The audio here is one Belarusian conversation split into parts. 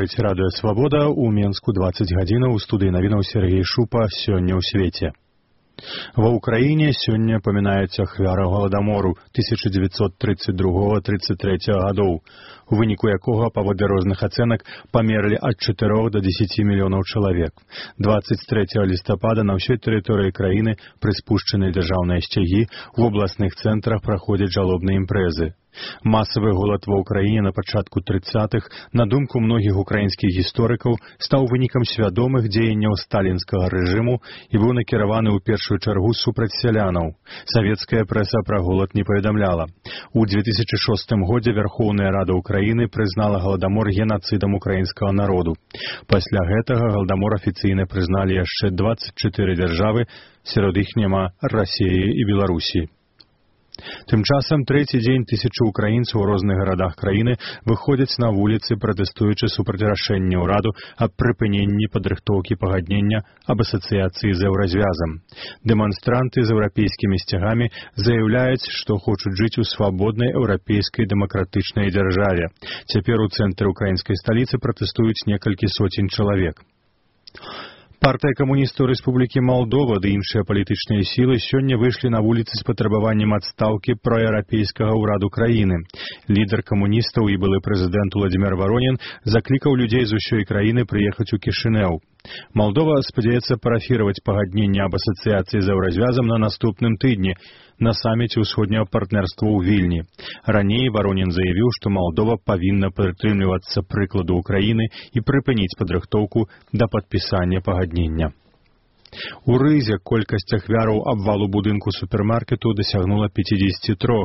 слухаеце радыё «Свабода», у Менску 20 гадзінаў, у студыі навінаў Сергей Шупа, сёння ў свеце. Ва ўкраіне сёння памінаюць ахвяраў голадамору 1932-33 гадоў, у выніку якога, паводле розных ацэнак, памерлі ад 4 до 10 мільёнаў чалавек. 23 лістапада на ўсёй тэрыторыі краіны пры спушчанай дзяржаўнай сцягі у абласных цэнтрах праходзяць жалобныя імпрэзы. Масавы голад ва ўкраіне на пачатку 30-х, на думку многіх украінскіх гісторыкаў, стаў вынікам свядомых дзеянняў сталінскага рэжыму і быў накіраваны ў першую чаргу супраць сялянаў. Савецкая прэса пра голад не паведамляла. У 2006 годзе Вярхоўная Рада Украіны прызнала галадамор генацыдам украінскага народу. Пасля гэтага галадамор афіцыйна прызналі яшчэ 24 дзяржавы, сярод іх няма Расіі і Беларусі. Тым часам трэці дзень тысячы украінцаў у розных гарадах краіны выходзяць на вуліцы, пратэстуючы супраць рашэння ўраду аб прыпыненні падрыхтоўкі пагаднення аб асацыяцыі з еўразвязам. Дэманстранты з еўрапейскімі сцягамі заяўляюць, што хочуць жыць у свабоднай еўрапейскай дэмакратычнай дзяржаве. Цяпер у цэнтры украінскай сталіцы пратэстуюць некалькі соцень чалавек. Партыя камуністаў Рэспублікі Малдова ды іншыя палітычныя сілы сёння выйшлі на вуліцы з патрабаваннем адстаўкі праеўрапейскага ўраду краіны. Лідар камуністаў і былы прэзідэнт Уладзімір Воронін заклікаў людзей з усёй краіны прыехаць у Кішынеў. Малдова спадзяецца парафіраваць пагадненне аб асацыяцыі з еўразвязам на наступным тыдні на саміце ўсходняга партнерства ў Вільні. Раней Воронін заявіў, што Малдова павінна прытрымлівацца прыкладу Украіны і прыпыніць падрыхтоўку да падпісання пагаднення. У Рызе колькасць ахвяраў абвалу будынку супермаркету дасягнула 53.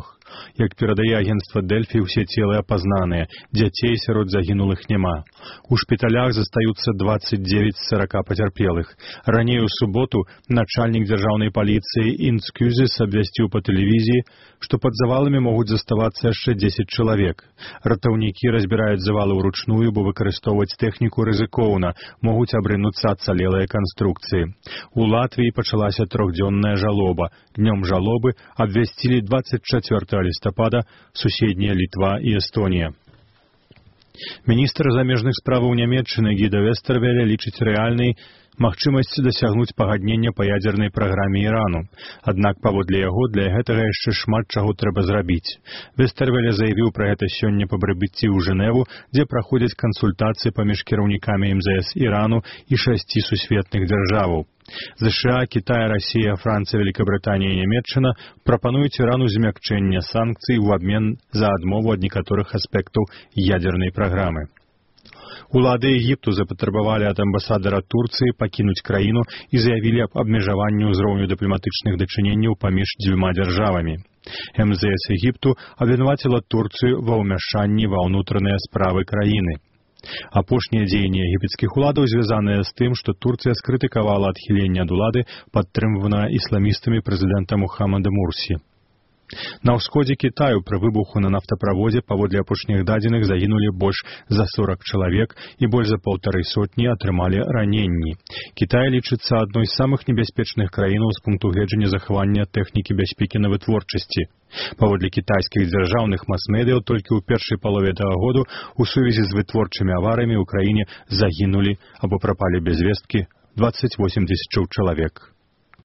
Як перадае агенцтва Дэльфі, усе целы апазнаныя, дзяцей сярод загінулых няма. У шпіталях застаюцца 29 з 40 пацярпелых. Раней у суботу начальнік дзяржаўнай паліцыі Інцкюзіс абвясціў па тэлевізіі, што пад заваламі могуць заставацца яшчэ 10 чалавек. Ратаўнікі разбіраюць завалы ўручную, бо выкарыстоўваць тэхніку рызыкоўна, могуць абрынуцца ацалелыя канструкцыі. У Латвіі пачалася трохдзённая жалоба. Днём жалобы абвясцілі 24 лістапада суседнія Літва і Эстонія. Міністр замежных справаў Нямецчыны Гіда Вестэрвеле лічыць рэальнай магчымасць дасягнуць пагаднення па ядзернай праграме Ірану. Аднак, паводле яго, для гэтага яшчэ шмат чаго трэба зрабіць. Вестэрвеле заявіў пра гэта сёння па прыбыцці ў Жэневу, дзе праходзяць кансультацыі паміж кіраўнікамі МЗС Ірану і 6 сусветных дзяржаваў. ЗША, Кітай, Расія, Францыя, Великабрытанія і Нямецчына прапануюць Ірану змякчэнне санкцый у абмен за адмову ад некаторых аспектаў ядзернай праграмы. Улады Егіпту запатрабавалі ад амбасадара Турцыі пакінуць краіну і заявілі аб абмежаванні ўзроўню дыпламатычных дачыненняў паміж дзвюма дзяржавамі. МЗС Егіпту абвінаваціла Турцыю ва ўмяшанні ва ўнутраныя справы краіны. Апошнія дзеянні егіпецкіх уладаў звязаныя з тым, што Турцыя скрытыкавала адхіленне ад улады, падтрымванае ісламістамі прэзідэнта Мухаммада Мурсі. На ўсходзе Кітаю пры выбуху на нафтаправодзе паводле апошніх дадзеных загінулі больш за 40 чалавек і больш за 150 атрымалі раненні. Кітай лічыцца адной з самых небяспечных краінаў з пункту гледжання захавання тэхнікі бяспекі на вытворчасці. Паводле кітайскіх дзяржаўных мас-медыяў толькі ў першай палове гэтага году у сувязі з вытворчымі аварыямі ў краіне загінулі або прапалі без весткі 28 000 чалавек.